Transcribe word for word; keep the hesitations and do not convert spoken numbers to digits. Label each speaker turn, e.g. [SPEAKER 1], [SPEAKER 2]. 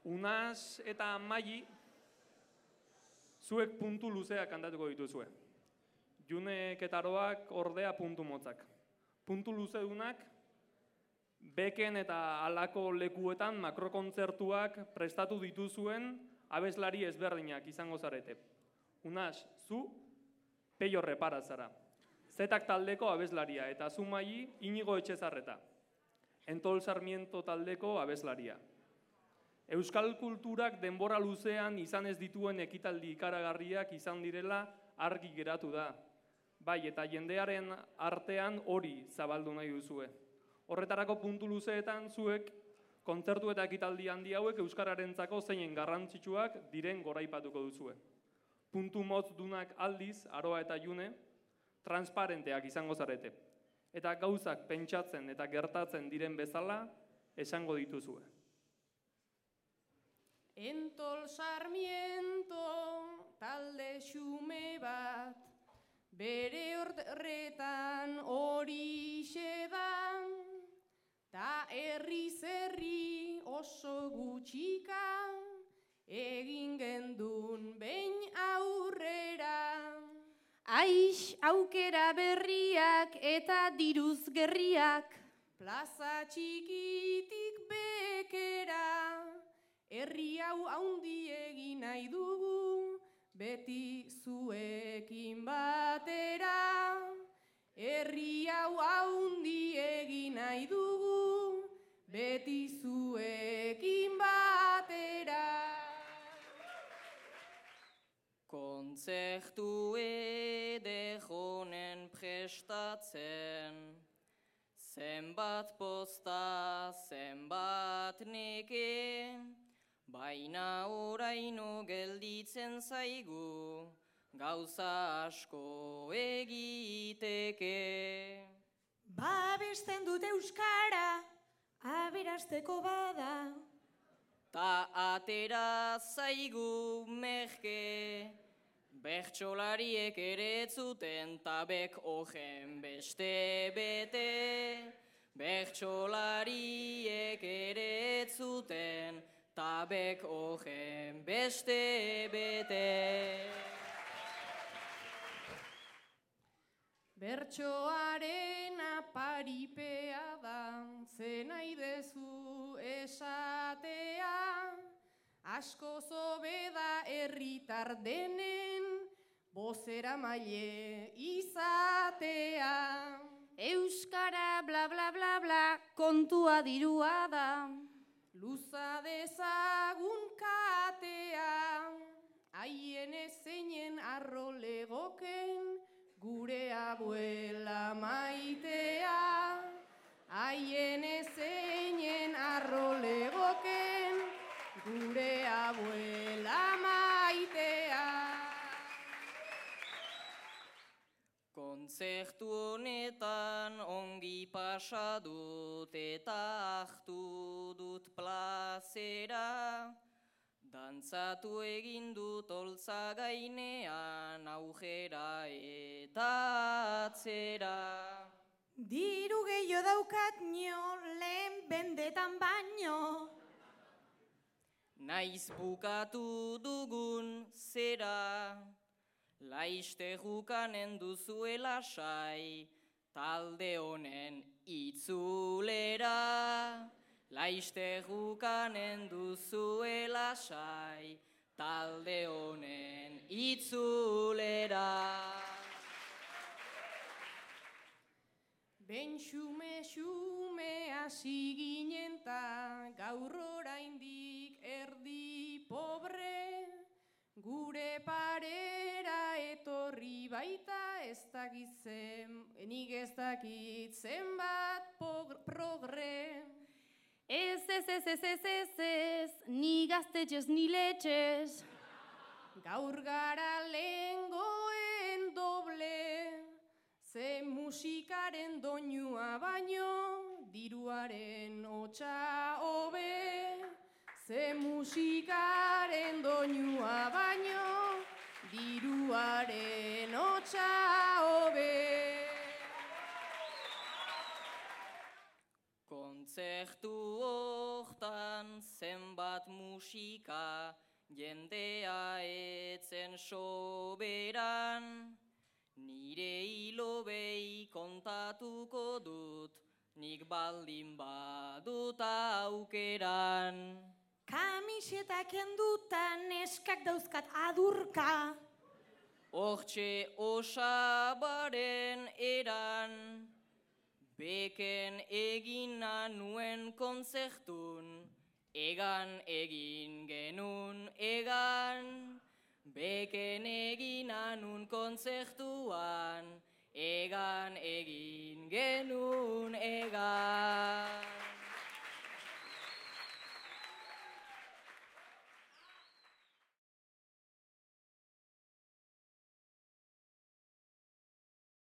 [SPEAKER 1] Unas eta Maili, zuek puntu luzeak kantatuko dituzue. Junek eta Aroak ordea puntu motzak. Puntu luzedunak, beken eta halako lekuetan makrokontzertuak prestatu dituzuen abeslari ezberdinak izango zarete. Unas, zu Peio Repara zara. Zetak taldeko abeslaria eta zu Maili Inigo Etxezarreta. Entol Sarmiento taldeko abeslaria. Euskal kulturak denbora luzean izan ez dituen ekitaldi ikaragarriak izan direla argi geratu da. Bai, eta jendearen artean hori zabaldu nahi duzue. Horretarako puntu luzeetan zuek kontzertu eta ekitaldi handi hauek euskararentzako zeinen garrantzitsuak diren goraipatuko duzue. Puntu motz dunak aldiz, Aroa eta June, transparenteak izango zarete. Eta gauzak pentsatzen eta gertatzen diren bezala esango dituzue.
[SPEAKER 2] Entol Sarmiento talde xume bat, bere horretan horixe da, ta herriz herri oso gutxika, egin gendun behin aurrera.
[SPEAKER 3] Aix aukera berriak eta diruz gerriak,
[SPEAKER 2] plaza txikitik bekera, herri hau haundi egin nahi dugu, beti zuekin batera. Herri hau haundi egin nahi dugu, beti zuekin batera.
[SPEAKER 4] Kontzertu edejonen prestatzen, zenbat posta, zenbat neke, baina oraino gelditzen zaigu, gauza asko egiteke.
[SPEAKER 3] babesten dut euskara, aberasteko bada.
[SPEAKER 4] Ta atera zaigu merke, bertsolariek ere zuten tabek ogen beste bete. Bertsolariek ere zuten tabek ogen beste bete.
[SPEAKER 2] Bertsoaren aparipea da, ze nahi dezu esatea, asko zobe da herritar denen, bozera maile izatea.
[SPEAKER 3] Euskara bla bla bla bla, kontua dirua da.
[SPEAKER 2] Luza dezagun katea, haien ezeinen arro legoken, gure abuela maitea. Haien ezeinen arro legoken, gure abuela maitea.
[SPEAKER 4] Kontzertu honetan ongi pasa dut eta hartu dut plazera. Dantzatu egin dut oltza gainean aujera eta atzera.
[SPEAKER 3] Diru gehiago daukat nio, lehen bendetan baino.
[SPEAKER 4] Naiz bukatu dugun zera, laiste jukanen duzuela sai, talde honen itzulera. Laiste jukanen duzuela sai, talde honen itzulera.
[SPEAKER 2] Ben xume xume hasi ginen ta, gaur oraindik erdi pobre, gure parera etorri baita ez dakitzen, nik ez dakit zenbat progre.
[SPEAKER 3] Ez, ez, ez, ez, ez, ez, ez, ni gaztetxez, ni letxez.
[SPEAKER 2] Gaur gara lehengoen doble, ze musikaren doinua baino, diruaren hotsa hobe. Ze musikaren doinua baino, diruaren hotsa hobe.
[SPEAKER 4] Kontzertu hortan zenbat musika, jendea etzen soberan. Nire hilobei kontatuko dut, nik baldin badut aukeran.
[SPEAKER 2] Kamiseta kenduta neskak dauzkat adurka.
[SPEAKER 4] Hortxe osabaren eran, beken egina nuen kontzertun, egan egin genun egan. Beken egin anun kontzertuan, egan egin genuen.